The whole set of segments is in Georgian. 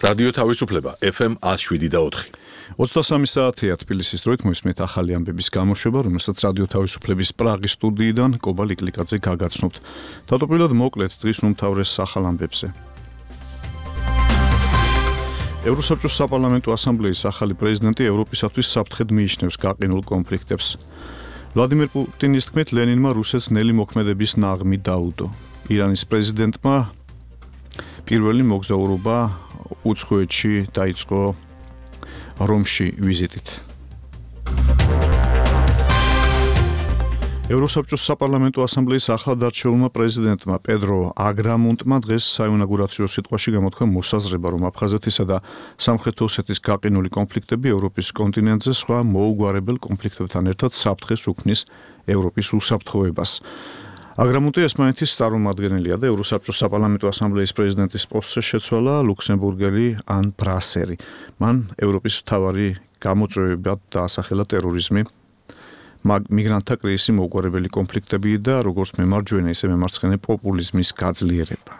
რადიო თავისუფლება FM 107.4. 23 საათია თბილისის დროით მოისმენთ ახალი ამბების გამოშვება, რომელსაც რადიო თავისუფლების პრაღის სტუდიიდან კობა ლიკლიკაძე გაგაცნობთ. თავდაპირველად მოკლედ დღის უმთავრეს ახალ ამბებზე. ევროსაბჭოს საპარლამენტო ასამბლეის ახალი პრეზიდენტი ევროპისათვის საფრთხედ მიიჩნევს გაყინულ კონფლიქტებს. ვლადიმერ პუტინის თქმით, ლენინმა რუსეთს ნელი მოქმედების ნაღმი დაუდო. ირანის პრეზიდენტმა პირველი მოგზაურობა უცხოეთში დაიწყო რომში ვიზიტით. ევროსაბჭოს საპარლამენტო ასამბლეის ახლადარჩეულმა პრეზიდენტმა პედრო აგრამუნტმა დღეს საინაugურაციო სიტყვაში გამოთქვა მოსაზრება, რომ აფხაზეთისა და სამხრეთ ოსეთის გაყინული კონფლიქტები ევროპის კონტინენტზე სხვა მოუგვარებელ კონფლიქტებთან ერთად საფრთხეს უქმნის ევროპის უსაფრთხოებას. აგრამუნტი ესპანეთის წარმომადგენელია და ევროსაბჭოს საპარლამენტო ასამბლეის პრეზიდენტის პოსტზე შეცვალა ლუქსემბურგელი ან ბრასერი. მან ევროპის მთავარი გამოწვევებად დაასახელა ტერორიზმი, მიგრანტთა კრიზისი, მოუგვარებელი კონფლიქტები და როგორც მემარჯვენე, ისე მემარცხენე პოპულიზმის გაძლიერება.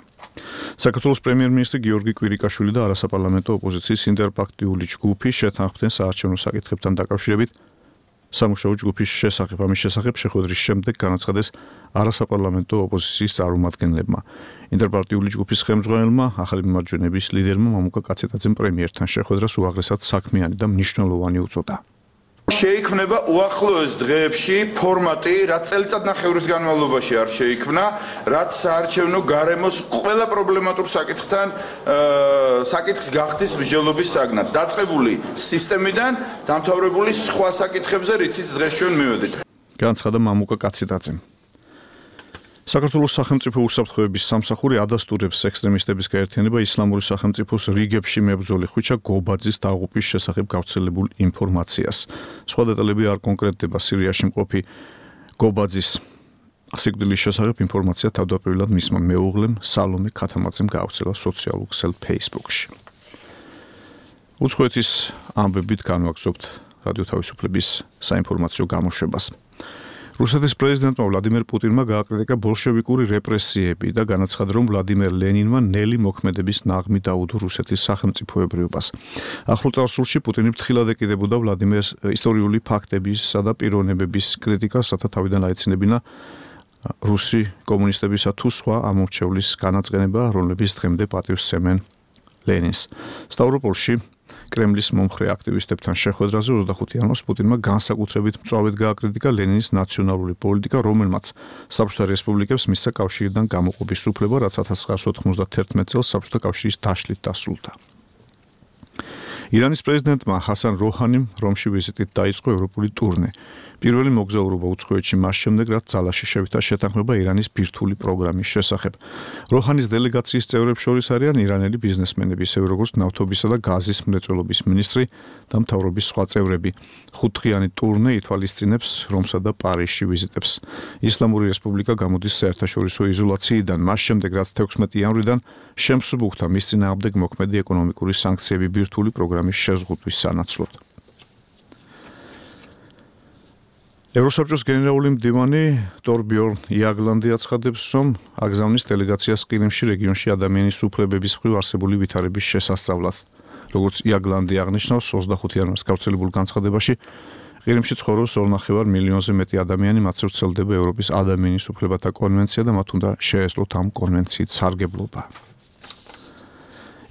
საქართველოს პრემიერ-მინისტრი გიორგი კვირიკაშვილი და არასაპარლამენტო ოპოზიციის ინტერპარტიული ჯგუფი შეთანხმდნენ საარჩევნო საკითხებთან დაკავშირებით სამუშაო ჯგუფის შესახებ. ამის შესახებ შეხვედრის შემდეგ განაცხადეს არასაპარლამენტო ოპოზიციის წარმომადგენლებმა. ინტერპარტიული ჯგუფის ხელმძღვანელმა, ახალი მემარჯვენეების ლიდერმა მამუკა კაცეტაძემ პრემიერთან შეხვედრას უაღრესად საქმიანი და მნიშვნელოვანი უწოდა. შეიქმნება უახლოეს დღეებში ფორმატი, რაც წელიწადნახევრის განმავლობაში არ შეიქმნა, რაც საარჩევნო გარემოს ყველა პრობლემატურ საკითხს გახდის მსჯელობის საგნად. დაწყებული სისტემიდან დამთავრებული სხვა საკითხებზე, რითიც დღეს ჩვენ მივედით. განაცხადა მამუკა კაცეტაძემ. საქართველოს სახელმწიფო უსაფრთხოების სამსახური ადასტურებს ექსტრემისტების გაერთიანება ისლამური სახელმწიფოს რიგებში მებრძოლი ხვიჩა გობაძის დაღუპვის შესახებ გავრცელებულ ინფორმაციას. სხვა დეტალები არ კონკრეტდება. სირიაში მყოფი გობაძის სიკვდილის შესახებ ინფორმაცია თავდაპირველად მისმა მეუღლემ სალომე ქათამაძემ გაავრცელა სოციალურ ქსელ Facebook-ში. უცხოეთის ამბებით განვაგრძობთ რადიო თავისუფლების საინფორმაციო გამოშვებას. რუსეთის პრეზიდენტმა ვლადიმერ პუტინმა გააკრიტიკა ბოლშევიკური რეპრესიები და განაცხადა, რომ ვლადიმერ ლენინმა ნელი მოქმედების ნაღმი დაუდო რუსეთის სახელმწიფოებრიობას. ახლო წარსულში პუტინი ფრთხილად ეკიდებოდა ვლადიმერს ისტორიული ფაქტებისა და პიროვნებების კრიტიკას, რათა თავიდან აეცინებინა რუსი კომუნისტებისა თუ სხვა ამორჩევლის განაწყენება, რომლებიც დღემდე პატივსცემენ ლენინს. სტავროპოლში კრემლის მომხრე აქტივისტებთან შეხვედრაზე 25 იანვარს პუტინმა განსაკუთრებით მწვავედ გააკრიტიკა ლენინის ნაციონალური პოლიტიკა, რომელმაც საბჭოთა რესპუბლიკებს მისცა კავშირიდან გამოყოფის უფლება, რაც 1991 წელს საბჭოთა კავშირის დაშლით დასრულდა. ირანის პრეზიდენტმა ჰასან როჰანიმ რომში ვიზიტით დაიწყო ევროპული ტურნე. პირველი მოგზაურობა უცხოეთში მას შემდეგ, რაც ძალაში შევიდა შეთანხმება ირანის ბირთვული პროგრამის შესახებ. როჰანის დელეგაციის წევრებს შორის არიან ირანელი ბიზნესმენები, ისევე როგორც ნავთობისა და გაზის მრეწველობის მინისტრი და მთავრობის სხვა წევრები. 5-დღიანი ტურნე ითვალისწინებს რომსა და პარიზში ვიზიტებს. ისლამური რესპუბლიკა გამოდის საერთაშორისო იზოლაციიდან, მას შემდეგ, რაც 16 იანვრიდან შემსუბუქდა მის წინააღმდეგ მოქმედი ეკონომიკური სანქციები ბირთვული პროგრამის შეზღუდვის სანაცვლოდ. ევროსაბჭოს გენერალური მდივანი ტორბიორნ იაგლანდი აცხადებს, რომ აგზავნის დელეგაციას ყირიმში რეგიონში ადამიანის უფლებების მხრივ არსებული ვითარების შესასწავლად. როგორც იაგლანდი აღნიშნავს, 25 იანვარს გავრცელებულ განცხადებაში ყირიმში ცხოვრობს 2,5 მილიონზე მეტი ადამიანი, მათზე ვრცელდება ევროპის ადამიანის უფლებათა კონვენცია და მათ უნდა შეეძლოთ ამ კონვენციით სარგებლობა.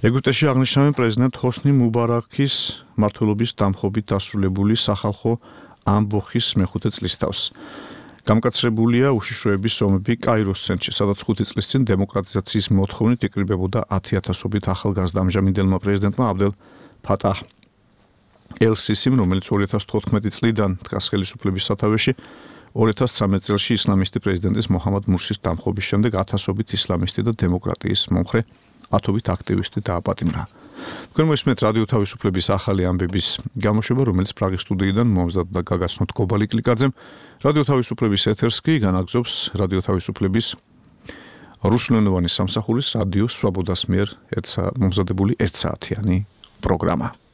ეგვიპტეში აღნიშნავენ პრეზიდენტ ჰოსნი მუბარაქის მმართველობის დამხობით დასრულებული სახალხო ამბოხის მეხუთე წლისთავს. გამკაცრებულია უშიშროების ომები კაიროს ცენტრში, სადაც 5 წლის წინ დემოკრატიზაციის მოთხოვნით იკრიბებოდა 10,000-ობით ახალგაზრდა ამჟამინდელმა პრეზიდენტმა აბდელ ფატაჰ ელ-სისიმ, რომელიც 2014 წლიდან დგას ხელისუფლების სათავეში, 2013 წელს ისლამისტი პრეზიდენტის მოჰამად მურსის დამხობის შემდეგ 1000-ობით ისლამისტი და დემოკრატიის მომხრე 10-ობით აქტივისტი დააპატიმრა. თქვენ მოისმენთ რადიო თავისუფლების ახალი ამბების გამოშვება, რომელიც პრაღის სტუდიიდან მომზადდა და გაგაცნოთ კობა ლიკლიკაძემ. რადიო თავისუფლების ეთერს კი განაგზობს რადიო თავისუფლების რუსულენოვანი სამსახურის რადიო სვაბოდას მიერ მომზადებული 1 საათიანი პროგრამა.